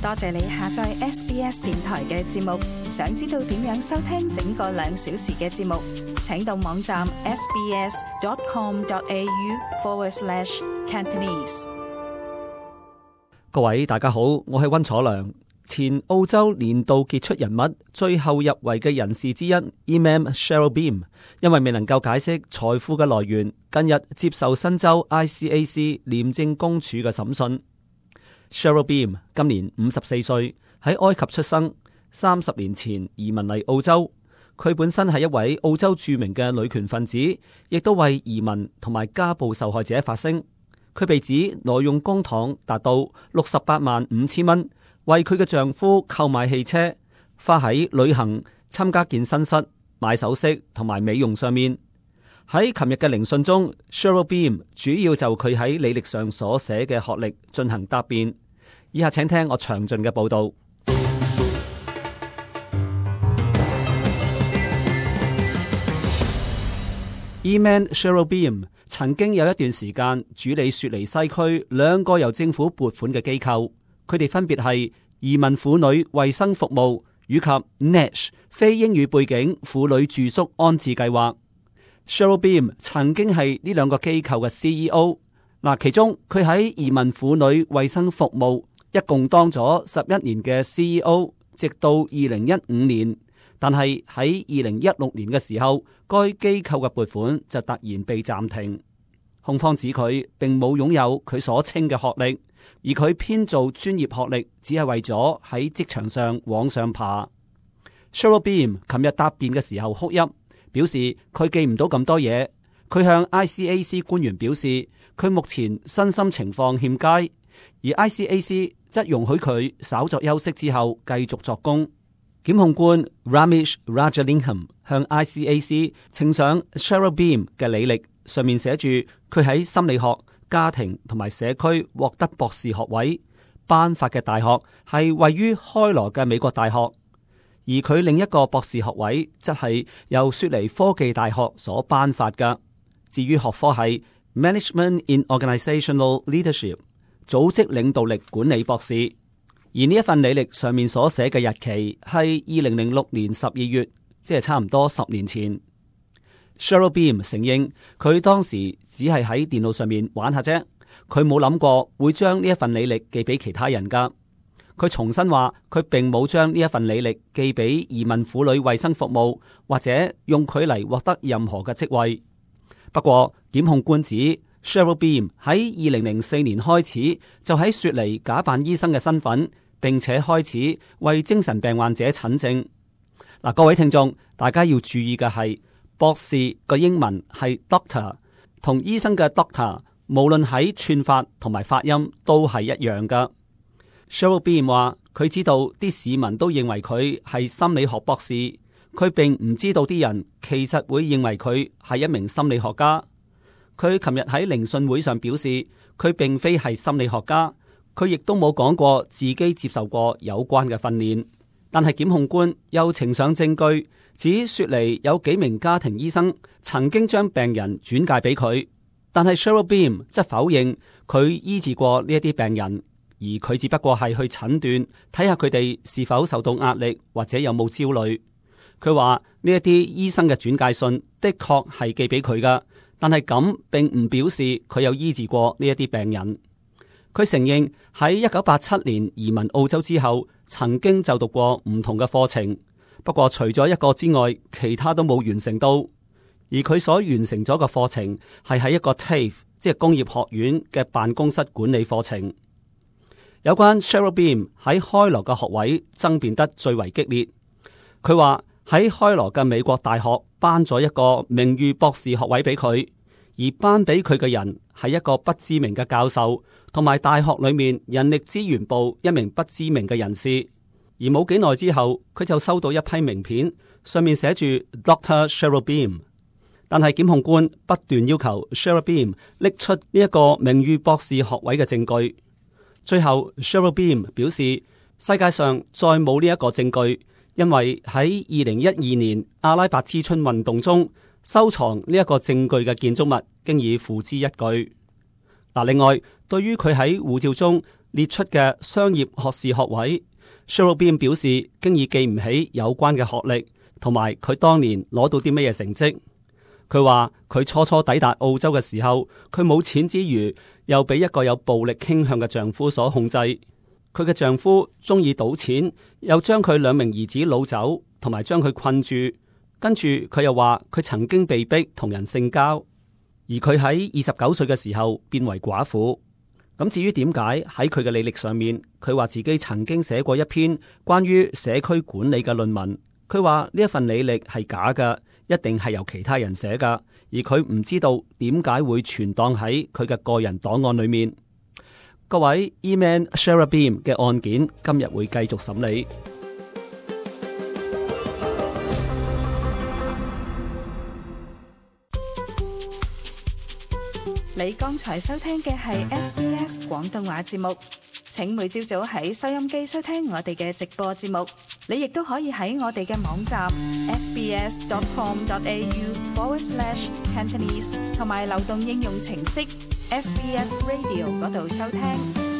多謝你下載 SBS 電台嘅節目。想知道點樣收聽整個2小時嘅節目，請到網站 sbs.com.au/Cantonese。各位大家好，我係溫楚良。前澳洲年度傑出人物、最後入圍嘅人士之一 Imam Cheryl Beam， 因為未能夠解釋財富嘅來源，近日接受新州 ICAC 廉政公署嘅審訊。Cheryl Beam 今年54歲，喺埃及出生，30年前移民嚟澳洲。佢本身係一位澳洲著名嘅女權分子，亦都為移民同埋家暴受害者發聲。佢被指挪用公帑達到685000蚊，為佢嘅丈夫購買汽車，花喺旅行、參加健身室、買首飾同埋美容上面。喺琴日嘅聆訊中， Cheryl Beam 主要就佢喺履歷上所寫嘅學歷進行答辯。以下請聽我詳盡嘅報道。Imam Cheryl Beam 曾經有一段時間主理雪梨西區2個由政府撥款嘅機構，佢哋分別係移民婦女衛生服務以及 NASH 非英語背景婦女住宿安置計劃。Cheryl Beam 曾經係呢2個機構嘅 CEO。其中佢喺移民婦女衛生服務一共當咗11年嘅 CEO， 直到2015年。但係喺2016年嘅時候，該機構嘅撥款就突然被暫停。控方指佢並冇擁有佢所稱嘅學歷，而佢編造專業學歷只係為咗喺職場上往上爬。Cheryl Beam 琴日答辯嘅時候哭泣，表示佢記唔到咁多嘢。佢向 ICAC 官員表示，佢目前身心情況欠佳，而 ICAC 則容許佢稍作休息之後繼續作供。檢控官 Ramesh Rajalingam 向 ICAC 呈上 Cheryl Beam 嘅履歷，上面寫住佢喺心理學、家庭同埋社區獲得博士學位，頒發嘅大學係位於開羅嘅美國大學，而佢另一個博士學位則係由雪梨科技大學所頒發嘅。至於學科係 Management in Organizational Leadership， 組織領導力管理博士。而呢一份履歷上面所寫嘅日期係2006年12月，即係差唔多10年前。Cheryl Beam 承認佢當時只係喺電腦上面玩下啫，佢冇諗過會將呢一份履歷寄俾其他人噶。佢重申話佢並冇將呢一份履歷寄俾移民婦女衛生服務，或者用佢嚟獲得任何嘅職位。不過檢控官指 Cheryl Beam 喺2004年開始就喺雪梨假扮醫生嘅身份，並且開始為精神病患者診症。各位聽眾，大家要注意嘅係，博士個英文係 doctor， 同醫生嘅 doctor 無論喺串法同埋發音都係一樣噶。Cheryl Beam 話佢知道啲市民都認為佢係心理學博士，佢並唔知道啲人其實會認為佢係一名心理學家。佢琴日喺聆訊會上表示，佢並非係心理學家，佢亦都冇講過自己接受過有關嘅訓練。但係檢控官又呈上證據，指雪梨有幾名家庭醫生曾經將病人轉介俾佢，但係 Cheryl Beam 則否認佢醫治過呢一啲病人，而佢只不過係去診斷，睇下佢哋是否受到壓力或者有冇焦慮。佢話呢一啲醫生嘅轉介信的確係寄俾佢噶，但係咁並唔表示佢有醫治過呢一啲病人。佢承認喺1987年移民澳洲之後，曾經就讀過唔同嘅課程，不過除咗一個之外，其他都冇完成到。而佢所完成咗嘅課程係喺一個 TAFE， 即係工業學院嘅辦公室管理課程。有關 Cheryl Beam 喺開羅嘅學位爭辯得最為激烈。佢話喺開羅嘅美國大學頒咗一個名譽博士學位俾佢，而頒俾佢嘅人係一個不知名嘅教授，同埋大學裏面人力資源部一名不知名嘅人士。而冇幾耐之後，佢就收到一批名片，上面寫住 Dr. Cheryl Beam。但係檢控官不斷要求 Cheryl Beam 拎出呢一個名譽博士學位嘅證據。最後 Cheryl Beam 表示，世界上再冇呢一個證據，因為喺2012年阿拉伯之春運動中收藏呢一個證據嘅建築物經已付之一炬。另外，對於佢喺護照中列出嘅商業學士學位。Cherubim 表示，經已記唔起有關嘅學歷，同埋佢當年攞到啲乜嘢成績。佢話佢初初抵達澳洲嘅時候，佢冇錢之餘，又俾一個有暴力傾向嘅丈夫所控制。佢嘅丈夫中意賭錢，又將佢2名兒子擄走，同埋將佢困住。跟住佢又話佢曾經被逼同人性交，而佢喺29歲嘅時候變為寡婦。咁至於點解喺佢嘅履歷上面，佢話自己曾經寫過一篇關於社區管理嘅論文。佢話呢一份履歷係假嘅，一定係由其他人寫噶，而佢唔知道點解會存檔喺佢嘅個人檔案裏面。各位 Eman Cherubim 嘅案件今日會繼續審理。你剛才收聽嘅係 SBS 廣東話節目，請每朝早喺收音機收聽我哋嘅直播節目。你亦都可以喺我哋嘅網站 sbs.com.au/Cantonese 同埋流動應用程式 SBS Radio 嗰度收聽。